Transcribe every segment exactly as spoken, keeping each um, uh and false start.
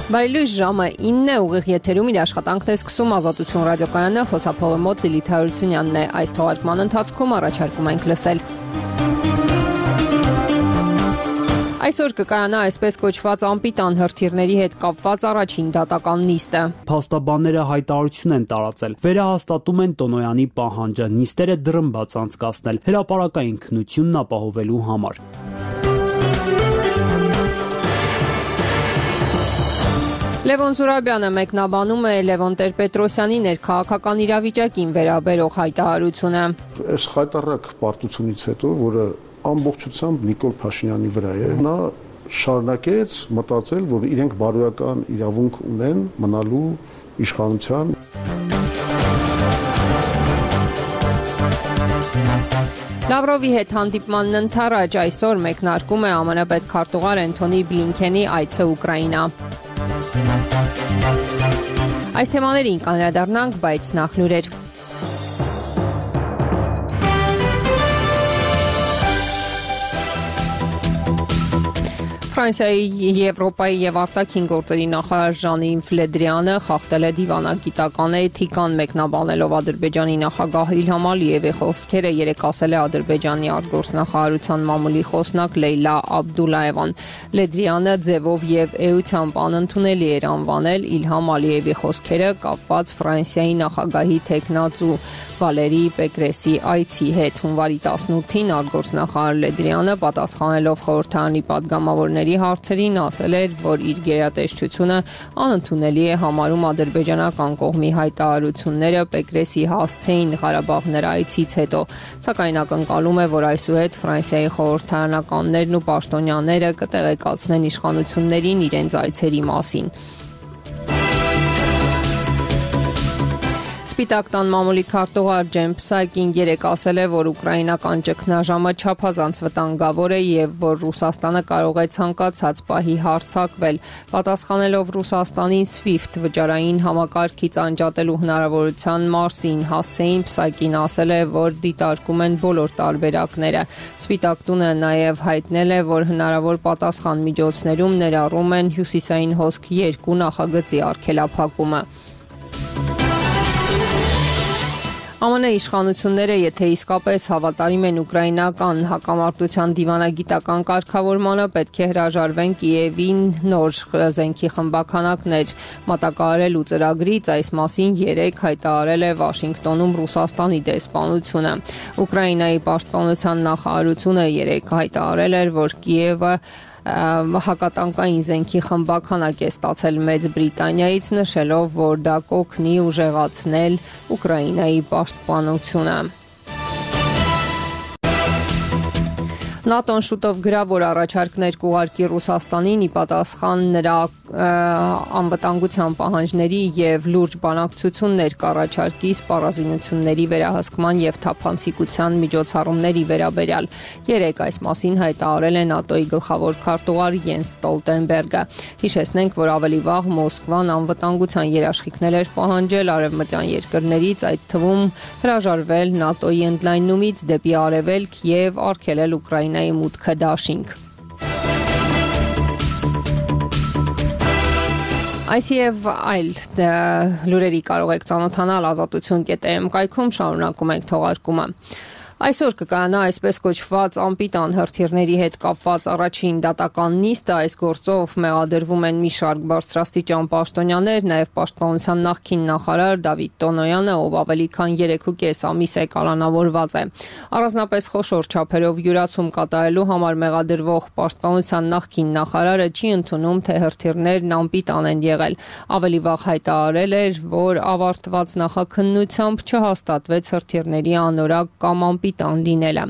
Բարելույս, ժամը ինն է, ուղիղ եթերում իր աշխատանքն է սկսում Ազատություն ռադիոկայանը, խոսափողի մոտ Լիլիթ Հարությունյանն է։ Այս թողարկման ընթացքում առաջարկում ենք լսել. Այսօր կկայանա այսպես կոչված անպիտան հրթիռների հետ կապված առաջին դատական նիստը։ Փաստաբանները հայտարարություն են տարածել, վերահաստատում են Տոնոյանի պահանջը, նիստերը դռնբաց անցկացնել, հրապարակային քննությունն ապահովելու համար։ Լևոն Զուրաբյանը մեկնաբանում է Լևոն Տեր-Պետրոսյանի ներքաղաքական իրավիճակին վերաբերող հայտարարությունը։ Այս խայտառակ պարտությունից հետո, որը ամբողջությամբ Նիկոլ Փաշինյանի վրա է, նա շարունակեց մտածել, որ իրենք բարոյական իրավունք ունեն մնալու իշխանության։ Լավրովի հետ հանդիպմանն ընթառաջ այսօր մեկնարկում է ԱՄՆ պետքարտուղար Էնթոնի Բլինքենի այցը Ուկրաինա։ Այս թեմաներին կանդրադառնանք, բայց նախ լուրեր։ Ֆրանսիայի, Եվրոպայի եւ արտաքին գործերի նախարար Ժան-Իվ Լե Դրիանը խախտել է դիվանագիտական էթիկան, մեկնաբանելով Ադրբեջանի նախագահ Իլհամ Ալիևի խոսքերը, երեկ ասել է Ադրբեջանի արտգործնախարարության մամուլի խոսնակ Լեյլա Աբդուլաևան։ Լե Դրիանը ձևով եւ էությամբ անընդունելի էր անվանել Իլհամ Ալիևի խոսքերը կապված Ֆրանսիայի նախագահի թեկնածու Վալերի Պեկրեսի այցի հետ։ Հունվարի տասնութին արտգործնախարար Լե Դրիանը պատասխանելով խորհրդարանի պատգամավորների հարցերին ասել էր, որ իր գերատեսչությունը անընդունելի է համարում ադրբեջանական կողմի հայտարարությունները Պեկրեսի հասցեին Ղարաբաղ նրայցից հետո, սակայն ակնկալում է, որ այսուհետ Ֆրանսիայի խորհրդարանականներն ու պաշտոնյաները կտեղեկացնեն իշխանություններին իրենց այցերի մասին։ Սպիտակ տան մամուլի քարտուղար Ջեն Պսակին երեկ ասել է, որ ուկրաինական ճգնաժամը չափազանց վտանգավոր է եւ որ Ռուսաստանը կարող է ցանկացած պահի հարձակվել։ Պատասխանելով Ռուսաստանին SWIFT վճարային համակարգից անջատելու հնարավորության մասին, հասցեին Պսակին ասել է, որ դիտարկում են բոլոր տարբերակները։ Սպիտակ տունը նաեւ հայտնել է, որ հնարավոր պատասխան միջոցներում ներառում են Հյուսիսային հոսք երկու նախագծի արգելափակումը։ ԱՄՆ իշխանությունները, եթե իսկապես հավատարիմ են ուկրաինական հակամարտության դիվանագիտական կարգավորմանը, պետք է հրաժարվեն Կիևին նոր զենքի խմբաքանակներ մատակարարելու ծրագրից, այս մասին երեկ հայտարարել է Վաշինգտոնում Ռուսաստանի դեսպանությունը։ Ուկրաինայի պաշտպանության նախարարությունը երեկ հայտարարել էր, որ Կիևը հակատանկային զենքի խմբաքանակ է ստացել Մեծ Բրիտանիայից, նշելով, որ դա կօգնի ուժեղացնել Ուկրաինայի պաշտպանությունը։ ՆԱՏՕ-ն շուտով գրավոր առաջարկներ կուղարկի Ռուսաստանին ի պատասխան նրա անվտանգության պահանջների եւ լուրջ բանակցություններ կառաջարկի սպառազինությունների վերահսկման եւ թափանցիկության միջոցառումների վերաբերյալ։ Երեկ այս մասին հայտարարել է ՆԱՏՕ-ի գլխավոր քարտուղար Յենս Ստոլտենբերգը։ Հիշեցնենք, որ ավելի վաղ Մոսկվան անվտանգության երաշխիքներ էր պահանջել արևմտյան երկրներից, այդ թվում հրաժարվել ՆԱՏՕ-ի ընդլայնումից դեպի արևելք եւ արգելել Ուկրաինայի մուտքը դաշինք։ Այս եւ այլ լուրերի կարող եք ծանոթանալ ազատություն կետ էմ կայքում, շարունակում ենք թողարկումը։ Այսօր կկայանա այսպես կոչված անպիտան հրթիռների հետ կապված առաջին դատական նիստը, այս գործով մեղադրվում են մի շարք բարձրաստիճան պաշտոնյաներ, նաև պաշտպանության նախկին նախարար Դավիթ Տոնոյանը, ով ավելի քան երեք ամիս է կալանավորված է։ Առանձնապես խոշոր չափերով յուրացում կատարելու համար մեղադրվող պաշտպանության նախկին նախարարը չի ընդունում, թե հրթիռներն անպիտան են եղել։ Ավելի վաղ հայտարարել էր, որ ավարտված նախաքննությամբ չհաստատվեց հրթիռների անորակ կամ անպիտան պիտան լինելը։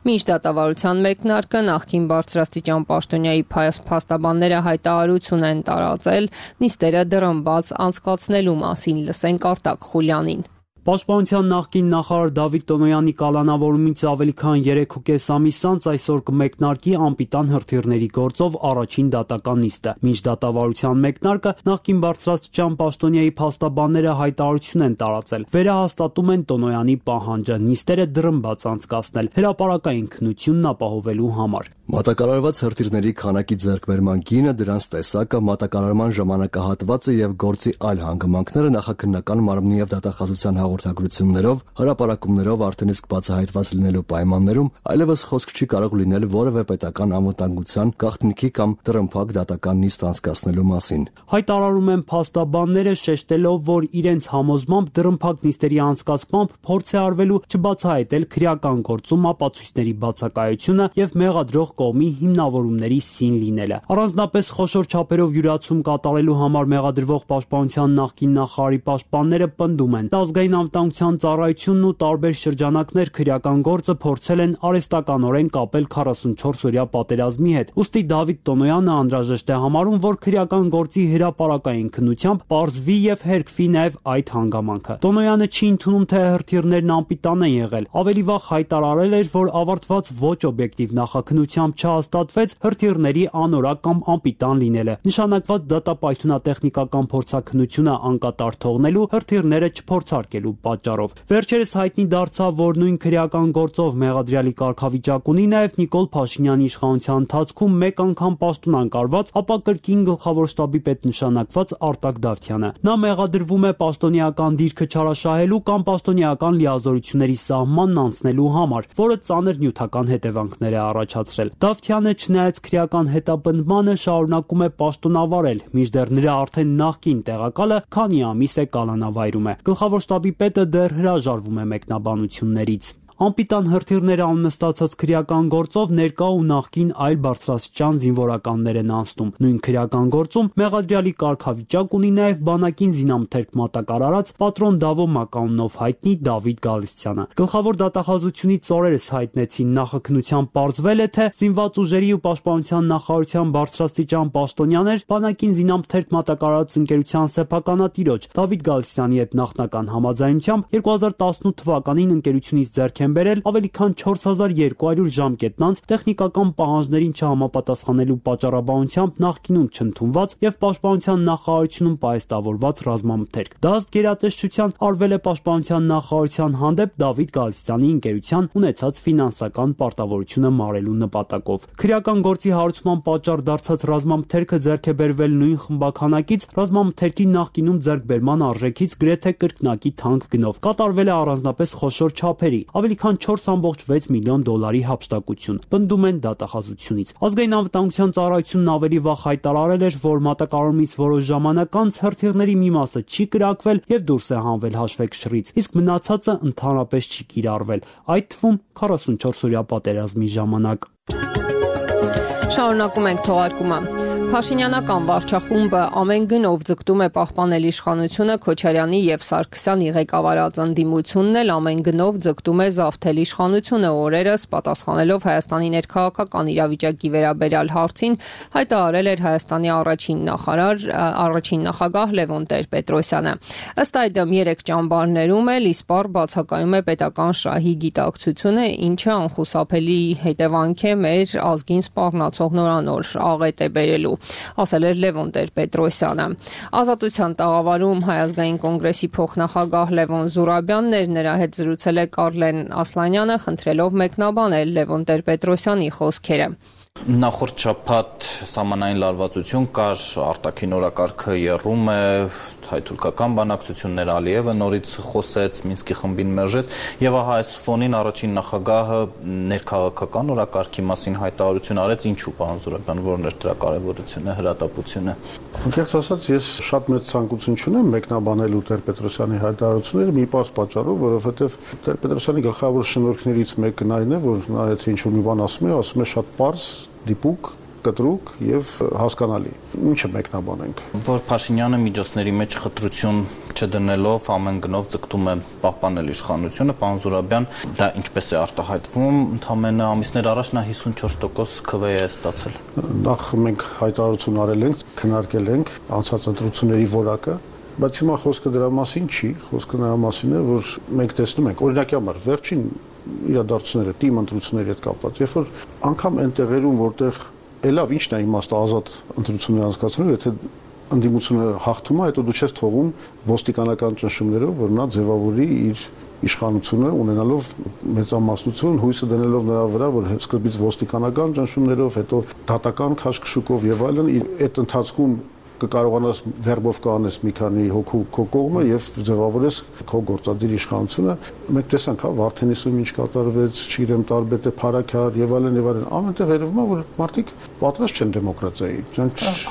Մինչ դատավարության մեկնարկը նախկին բարձրաստիճան պաշտոնյայի փաստաբանները հայտարարություն են տարածել նիստերը դռնբաց անցկացնելու մասին, լսենք Արտակ Խուլյանին։ Պաշտպանության նախկին նախարար Դավիթ Տոնոյանի կալանավորումից ավելի քան երեք ամիս անց այսօր կմեկնարկի անպիտան հրթիռների գործով առաջին դատական նիստը։ Մինչ դատավարության մեկնարկը նախկին բարձրաստիճան պաշտոնյայի փաստաբանները հայտարարություն են տարածել, վերահաստատում են Տոնոյանի պահանջը, նիստերը դռնբաց անցկացնել, հրապարակային քննությունն ապահովելու համար։ Մատակարարված հրթիռների քանակի ձեռքբերման գինը, դրանց տեսակը, մատակարարման ժամանակահատվածը եւ գործի այլ հանգամանքները նախաքննական մարմնի եւ դատախազության հաղորդագրություններով, հրապարակումներով արդեն իսկ բացահայտված լինելու պայմաններում այլևս խոսք չի կարող լինել որևէ պետական անվտանգության, գաղտնիքի կամ տրմփակ դատական նիստ անցկացնելու մասին։ Հայտարարում են փաստաբանները, շեշտելով, որ իրենց համոզմամբ դրմփակ նիստերի անցկացմամբ փորձ է արվելու չբացահայտել քրեական գործում ապացույցների բացակայությունը եւ մեղադրող կողմի հիմնավորումների սին լինելը։ Առանձնապես խոշոր չափերով յուրացում կատարելու համար մեղադրվող պաշտպանության նախկին նախարարի պաշտպանները պնդում են, ազգային անվտանգության ծառայությունն ու տարբեր շրջանակներ քրեական գործը փորձել են արհեստականորեն կապել քառասունչորս օրյա պատերազմի հետ։ Ուստի Դավիթ Տոնոյանը անհրաժեշտ է համարում, որ քրեական գործի հրապարակային քննությամբ պարզվի եւ հերքվի նաեւ այդ հանգամանքը։ Տոնոյանը չի ընդունում, թե հրթիռներն անպիտան են եղել։ Ավելի վաղ հայտարարել էր, որ ավարտված ոչ օբյեկտիվ նախաքննությամբ չհաստատվեց հրթիռների անորակ կամ անպիտան լինելը։ Նշանակված դատապայթունատեխնիկական փորձաքննությունը անկատար թողնելու, հրթիռները չփորձարկելու պատճառով։ Վերջերս հայտնի դարձավ, որ նույն քրեական գործով մեղադրյալի կարգավիճակ ունի նաև Նիկոլ Փաշինյանի իշխանության ընթացքում մեկ անգամ պաշտոնանկարված, ապա կրկին գլխավոր շտաբի պետ նշանակված Արտակ Դավթյանը։ Նա մեղադրվում է պաշտոնեական դիրքը չարաշահելու կամ պաշտոնեական լիազորությունների սահմանն անցնելու համար, որը ծանր նյութական հետևանքներ է առաջացրել։ Դավթյանը, չնայած քրեական հետապնդմանը, շարունակում է պաշտոնավարել, մինչդեռ նրա արդեն նախկին տեղակալը քանի ամիս է կալանավայրում է։ Գլխավոր շտաբի պետը դեռ հրաժարվում է մեկնաբանություններից։ Անպիտան հրթիռները աննստացած քրեական գործով ներկա ու նախկին այլ բարձրաստիճան զինվորականներ են անցնում։ Նույն քրեական գործում մեղադրյալի կարգավիճակ ունի նաև բանակին զինամթերք մատակարարած պատրոն Դավո մականունով հայտնի Դավիթ Գալստյանը։ Գլխավոր դատախազությունից օրերս հայտնեցին, նախաքննությամբ պարզվել է, թե զինված ուժերի ու պաշտպանության նախարարության բարձրաստիճան պաշտոնյաներ բանակին զինամթերք մատակարարած ընկերության սեփականատիրոջ Դավիթ Գալստյանի հետ նախնական համաձայնությամբ երկու հազար տասնութ թվականին ընկերությունից ձեռք բերել ավելի քան չորս հազար երկու հարյուր ժամկետնանց տեխնիկական պահանջներին չհամապատասխանելու պատճառաբանությամբ նախկինում չընդունված եւ պաշտպանության նախարարությունում պահեստավորված ռազմամթերք։ Դա ըստ գերատեսչության արվել է պաշտպանության նախարարության հանդեպ Դավիթ Գալստյանի ընկերության ունեցած ֆինանսական պարտավորությունը մարելու նպատակով։ Քրեական գործի հարուցման պատճառ դարձած ռազմամթերքը ձեռք է բերվել նույն խմբականակից, ռազմամթերքի նախկինում ձեռքբերման արժեքից գրեթե կրկնակի թանկ գնով։ Կատարվել է առանձնապես խոշոր չափերի, ավելի քան չորս կόμμα վեց միլիոն դոլարի հափշտակություն, պնդում են դատախազությունից։ Ազգային անվտանգության ծառայությունն ավելի վաղ հայտարարել էր, որ մատակարարումից որոշ ժամանակ անց հրթիռների մի մասը չի կրակվել եւ դուրս է հանվել հաշվեկշռից, իսկ մնացածը ընդհանրապես չի կիրառվել, այդ թվում քառասունչորս օրյա պատերազմի ժամանակ։ Շարունակում ենք թողարկումը։ Փաշինյանական վարչախումբը ամեն գնով ձգտում է պահպանել իշխանությունը, Քոչարյանի եւ Սարգսյանի ղեկավարած ընդդիմությունն էլ ամեն գնով ձգտում է զավթել իշխանությունը։ Օրերս պատասխանելով Հայաստանի ներքաղաքական իրավիճակի վերաբերյալ հարցին հայտարարել էր Հայաստանի առաջին նախարար, առաջին նախագահ Լևոն Տեր-Պետրոսյանը։ Ըստ այդմ երեք ճամբարներում էլ իսպառ բացակայում է պետական շահի գիտակցությունը, ինչը անխուսափելի հետևանք է մեր ազգին սպառնացող նորանոր աղետ է բերելու, ասել էր Լևոն Տեր-Պետրոսյանը։ Ազատության տաղավարում Հայ ազգային կոնգրեսի փոխնախագահ Լևոն Զուրաբյանն էր, նրա հետ զրուցել է Կարլեն Ասլանյանը, խնդրելով մեկնաբանել Լևոն Տեր-Պետրոսյանի խոսքերը։ Նախորդ շաբաթ սահմանային լարվածություն կար, արտաքին օրակարգը եռում է, հայ-թուրքական բանակցություններ, Ալիևը նորից խոսեց, Մինսկի խմբին մերժեց, եւ ահա այս ֆոնին առաջին նախագահը ներքաղաքական օրակարգի մասին հայտարարություն արեց, ինչու, պարոն Զուրաբյան, որն էր դրա կարևորությունը, հրատապությունը։ Անկեղծ ասած, ես շատ մեծ ցանկություն չունեմ մեկնաբանելու Տեր-Պետրոսյանի հայտարարությունները մի պարզ պատճառով, որովհետեւ Տեր-Պետրոսյանի գլխավոր շնորհքներից մեկն այն է, որ նա եթե ինչ-որ մի բան ասում է, ասում է շատ պարզ, դիպուկ, կտրուկ եւ հասկանալի։ Ինչը մեկնաբանենք։ Որ Փաշինյանը միջոցների մեջ խտրություն չդնելով ամեն գնով ձգտում է պահպանել իշխանությունը, պարոն Զուրաբյան, դա ինչպես է արտահայտվում, ընդամենը ամիսներ առաջ նա հիսունչորս տոկոս քվե է ստացել։ Նախ մենք հայտարարություն արել ենք, քննարկել ենք անցած ընտրությունների որակը, բայց հիմա խոսքը դրա մասին չի, խոսքը նրա մասին է, որ մենք տեսնում ենք, օրինակի համար, վերջին իրադարձությունները, թիմ ընտրությունների հետ կապված, երբ որ անգամ այն տեղերում, որտեղ Էլավ ինչն է իմաստը ազատ ընտրություններ անցկացնելու, եթե ընդդիմությունը հաղթում է, հետո դու չես թողում ոստիկանական ճնշումներով, որ նա ձևավորի իր իշխանությունը ունենալով մեծամասնություն, հույսը դնելով նրա վրա, որ սկզբից ոստիկանական ճնշումներով, հետո դատական քաշքշուկով եւ այլն, այդ ընթացքում կկարողանաս վերբով կանես մի քանի հոգու քո կողմը եւ ձևավորես քո գործադիր իշխանությունը։ Մենք տեսանք, հա, Վարդենիսում ինչ կատարվեց, չգիտեմ, Տարբեթը, Փարաքար եւ այլն եւ այլն։ Ամենտեղ երևում է, որ մարդիկ պատրաստ չեն դեմոկրատիայի։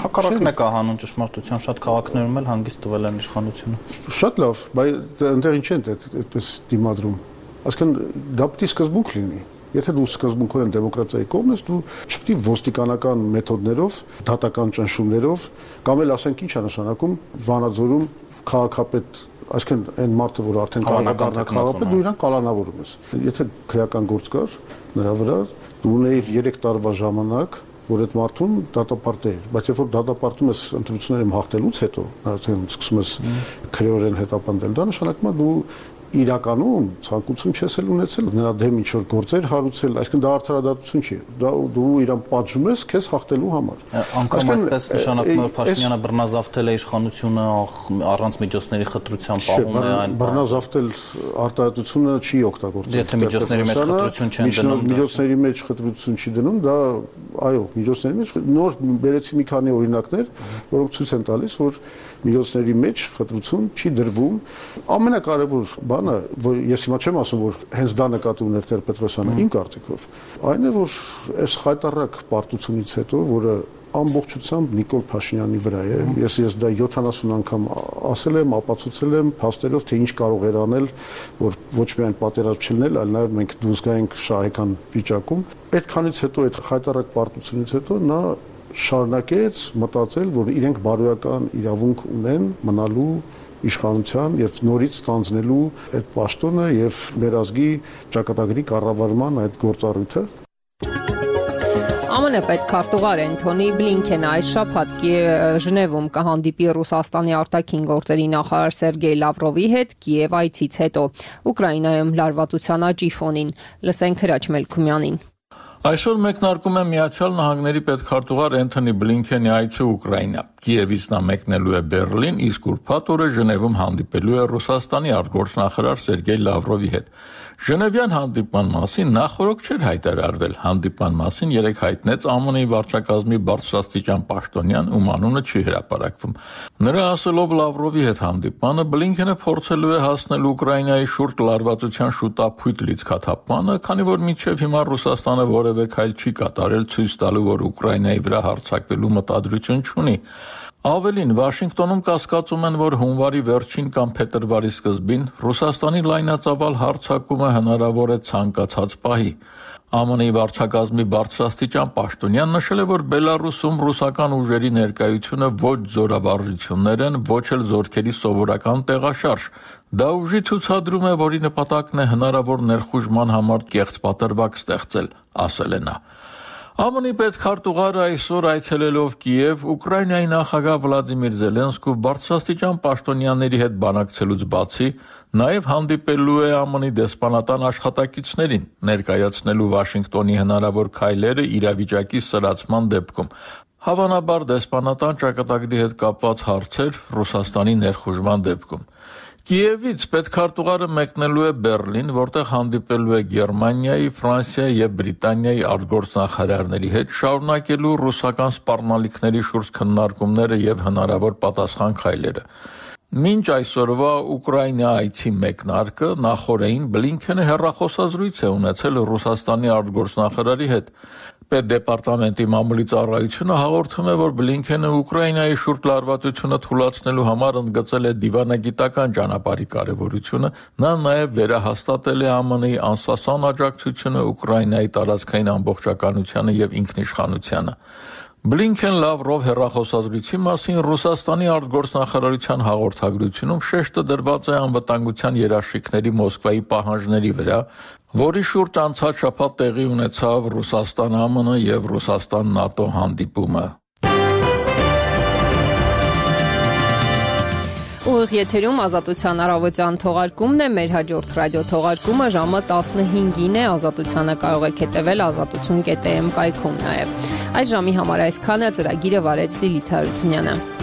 Հակառակն է կահանում ճշմարտության, շատ քաղաքներում էլ հանգիստ տվել են իշխանությունը։ Շատ լավ, բայց այնտեղ ինչ են այդպես դիմադրում։ Այսինքն դա պետք է սկզբունք լինի։ Եթե դու սկզբունքորեն դեմոկրատիայի կողմն ես, դու չպետք է ոստիկանական մեթոդներով, դատական ճնշումներով կամ էլ ասենք ինչ է նշանակում Վանաձորում քաղաքապետ, այսինքն այն մարդը, որ արդեն կարող է դառնալ քաղաքապետ, դու իրան կալանավորում ես։ Եթե քրեական գործ կար նրա վրա, դու ունեիր երեք տարվա ժամանակ, որ այդ մարդուն դատապարտել, բայց երբ որ դատապարտում ես ընտրություններում հաղթելուց հետո, այսինքն սկսում ես քրեորեն հետապնդել, դա նշանակում է դու իրականում ցանկություն չես էլ ունեցել նրա դեմ ինչ որ գործեր հարուցել, այսինքն դա արդարադատություն չի, դա դու իրան պատժում ես քեզ հաղթելու համար։ Անկամ այդպես նշանակում է Փաշինյանը բռնազավթել է իշխանությունը առանց միջոցների խտրության պահում է այն։ Բռնազավթել արտահայտությունը չի օգտագործել։ Եթե միջոցների մեջ խտրություն չեն դնում, միջոցների մեջ խտրություն չի դնում, դա այո, միջոցների մեջ նոր բերեցի մի քանի օրինակներ, որոնք ցույց են տալիս, որ միջոցների մեջ խտրություն չի դրվում։ Ամենակարևոր բանը, որ ես հիմա չեմ ասում, որ հենց դա նկատի ուներ Տեր Պետրոսյանը, իմ կարծիքով, այն է, որ այս խայտառակ պարտությունից հետո, որը ամբողջությամբ Նիկոլ Փաշինյանի վրա է, ես ես դա յոթանասուն անգամ ասել եմ, ապացուցել եմ փաստերով, թե ինչ կարող էր անել, որ ոչ միայն պատերազմ չլինել, այլ նաև մենք դուրս գայինք շահեկան վիճակում։ Այդքանից հետո, այդ խայտառակ պարտությունից հետո նա շարունակեց մտածել, որ իրենք բարոյական իրավունք ունեն մնալու իշխանության եւ նորից ստանձնելու այդ պաշտոնը եւ մեր ազգի ճակատագրի կառավարման այդ գործառույթը։ ԱՄՆ պետքարտուղար Էնթոնի Բլինքենը այս շաբաթ Ժնևում կհանդիպի Ռուսաստանի արտաքին գործերի նախարար Սերգեյ Լավրովի հետ Կիև այցից հետո Ուկրաինայում լարվածության աճի ֆոնին։ Լսենք Հրաչ Մելքումյանին։ Այսօր մեկնարկում է Միացյալ Նահանգների պետքարտուղար Էնթոնի Բլինքենի այցը Ուկրաինա։ Կիևից նա մեկնելու է Բերլին, իսկ ուրբաթ օրը Ժնևում հանդիպելու է Ռուսաստանի արտգործնախարար Սերգեյ Լավրովի հետ։ Ժնևյան հանդիպման մասին նախորոք չէր հայտարարվել։ Հանդիպման մասին երեկ հայտնեց ԱՄՆ-ի վարչակազմի բարձրաստիճան պաշտոնյան, ում անունը չի հրապարակվում։ Նրա ասելով Լավրովի հետ հանդիպմանը Բլինքենը փորձելու է հասնել Ուկրաինայի շուրջ լարվածության շուտափույթ լիցքաթափմանը, քանի որ մինչև հիմա Ռուսաստանը որևէ քայլ չի կատարել ցույց տալու, որ Ուկրաինայի վրա հարձակվելու մտադրություն չունի։ Ավելին, Վաշինգտոնում կասկածում են, որ հունվարի վերջին կամ փետրվարի սկզբին Ռուսաստանի լայնածավալ հարձակումը հնարավոր է ցանկացած պահի։ ԱՄՆ-ի վարչակազմի բարձրաստիճան պաշտոնյան նշել է, որ Բելարուսում ռուսական ուժերի ներկայությունը ոչ զորավարժություններ են, ոչ էլ զորքերի սովորական տեղաշարժ։ Դա ուժի ցուցադրում է, որի նպատակն է հնարավոր ներխուժման համար կեղծ պատրվակ ստեղծել, ասել է նա։ ԱՄՆ-ի պետքարտուղարը այսօր այցելելով Կիև, Ուկրաինայի նախագահ Վլադիմիր Զելենսկու բարձրաստիճան պաշտոնյաների հետ բանակցելուց բացի, նաև հանդիպելու է ԱՄՆ-ի դեսպանատան աշխատակիցներին, ներկայացնելու Վաշինգտոնի հնարավոր քայլերը իրավիճակի սրացման դեպքում։ Հավանաբար դեսպանատան ճակատագրի հետ կապված հարցեր Ռուսաստանի ներխուժման դեպքում։ Կիևից պետքարտուղարը մեկնելու է Բերլին, որտեղ հանդիպելու է Գերմանիայի, Ֆրանսիայի եւ Բրիտանիայի արտգործնախարարների հետ, շարունակելու ռուսական սպառնալիքների շուրջ քննարկումները եւ հնարավոր պատասխան քայլերը։ Մինչ այսօրվա Ուկրաինա այցի մեկնարկը նախորդին Բլինքենը հեռախոսազրույց է ունեցել Ռուսաստանի արտգործնախարարի հետ։ Պետդեպարտամենտի մամուլի ծառայությունը հաղորդում է, որ Բլինքենը Ուկրաինայի շուրջ լարվածությունը թույլատնելու համար ընդգծել է դիվանագիտական ճանապարհի կարևորությունը, նա նաև վերահաստատել է ԱՄՆ-ի անսասան աջակցությունը Ուկրաինայի տարածքային ամբողջականությանը եւ ինքնիշխանությանը։ Բլինքեն-Լավրով հեռախոսազրույցի մասին Ռուսաստանի արտգործնախարարության հաղորդագրությունում շեշտը դրված է անվտանգության երաշխիքների Մոսկվայի պահանջների վրա, որի շուրջ անցած շաբաթ տեղի ունեցավ Ռուսաստան-ԱՄՆ եւ Ռուսաստան-ՆԱՏՕ հանդիպումը։ Ուղիղ եթերում Ազատության առավոտյան թողարկումն է, մեր հաջորդ ռադիո թողարկումը ժամը տասնհինգին է, Ազատությանը կարող եք հետևել ազատություն կետ է էմ կայքում նաև։ Այս ժամի համար այսքանը, ծրագիրը վարեց Լիլիթ Հարությունյանը։